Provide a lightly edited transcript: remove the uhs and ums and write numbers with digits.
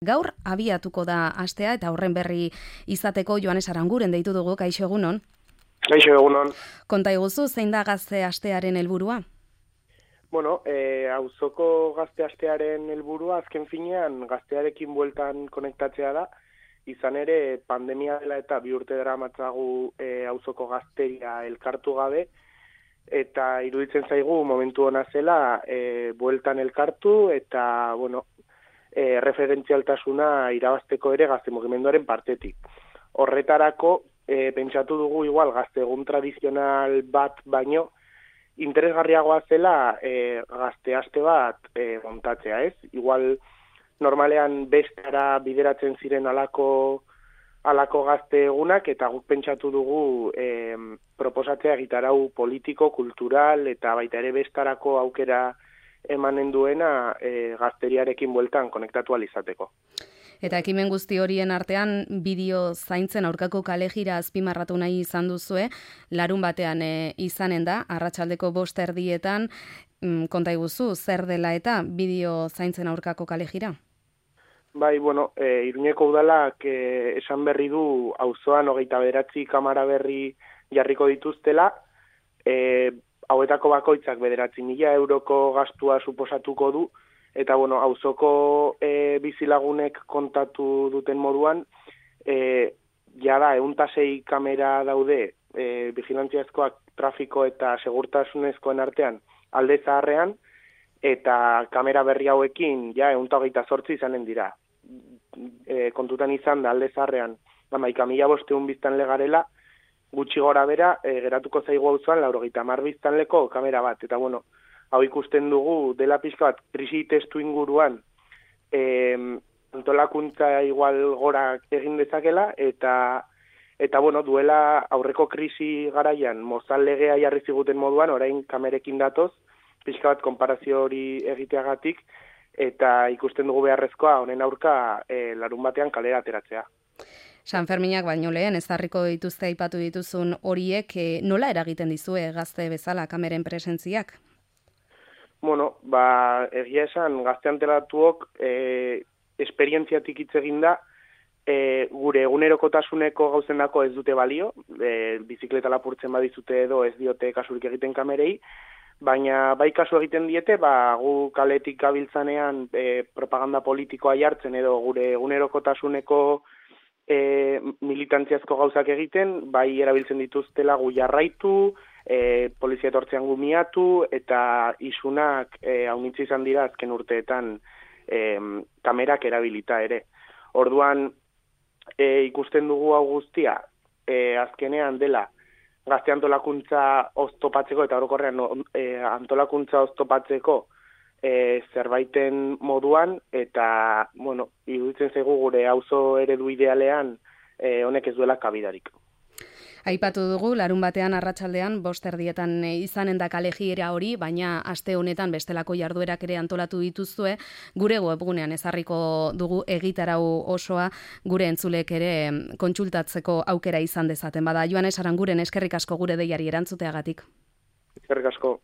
Gaur abiatuko da astea eta horren berri izateko Joanes Aranguren deitu dugu. Kaixo, egunon. Kaixo, egunon. Konta iguzu, zein da gazte astearen helburua? Bueno, auzoko gazte astearen helburua azken finean gaztearekin bueltan konektatzea da. Izan ere, pandemia dela eta 2 urte daramatzagu auzoko gazteria elkartu gabe, eta iruditzen zaigu momentu ona zela bueltan elkartu eta, bueno, referentzialtasuna irabazteko ere gazte mugimenduaren partetik. Horretarako, pentsatu dugu igual gazte egun tradizional bat baino, interesgarriagoa zela gazte aste bat montatzea, ez? Igual normalean bestara bideratzen ziren alako gazte egunak, eta guk pentsatu dugu proposatzea egitarau politiko, kultural, eta baita ere bestarako aukera emanen duena gazteriarekin bueltan konektatu izateko. Eta ekimen guzti horien artean bideo zaintzen aurkako kalejira azpimarratu nahi izan duzue, larun batean izanen da, arratsaldeko 5:00 konta iguzu, zer dela eta bideo zaintzen aurkako kalejira? Bai, bueno, Iruñeko udalak esan berri du auzoan 29 kamara berri jarriko dituztela, hauetako bakoitzak 9.000 euroko gastua suposatuko du, eta bueno, auzoko bizilagunek kontatu duten moduan, jada 106 kamera daude vigilantziazkoak trafiko eta segurtasunezkoen artean alde zaharrean, eta kamera berri hauekin 128 izanen dira. Kontutan izan da alde zaharrean 11.500 biztanle garela, gutxi gora bera, geratuko zaigu auzoan 90 biztanleko kamera bat. Eta bueno, hau ikusten dugu dela pixka bat krisi testu inguruan antolakuntza igual gora egin dezakela, eta bueno, duela aurreko krisi garaian mozal legea jarri ziguten moduan, orain kamerekin datoz, pixka bat konparazio hori egiteagatik, eta ikusten dugu beharrezkoa honen aurka larun batean kalera ateratzea. San Ferminak baino lehen ezarriko dituzte aipatu dituzun horiek, nola eragiten dizue gazte bezala kameren presentziak? Bueno, egia esan gazte antelatuok esperientziatik hitz eginda, gure egunerokotasuneko gauzendako ez dute balio, bizikleta lapurtzen badizute edo ez diote kasurik egiten kamerei, baina bai kasu egiten diete, gu kaletik gabiltzanean propaganda politikoa jartzen edo gure egunerokotasuneko militantziazko gauzak egiten, bai erabiltzen dituztela gu jarraitu, polizia etortzean gumiatu, eta isunak haunitzi izan dira azken urteetan kamerak erabilita ere. Orduan ikusten dugu hau guztia, azkenean dela gazte antolakuntza oztopatzeko eta orokorrean antolakuntza oztopatzeko zerbaiten moduan, eta bueno, iruditzen zaigu gure auzo eredu idealean honek ez duela kabidarik. Aipatu dugu, larun batean arratsaldean 5:00 izanen da kalejiera hori, baina aste honetan bestelako jarduerak ere antolatu dituzue, gure webgunean ezarriko dugu egitarau osoa, gure entzulek ere kontsultatzeko aukera izan dezaten. Bada, Joanes Aranguren eskerrik asko gure deiari erantzuteagatik. Eskerrik asko.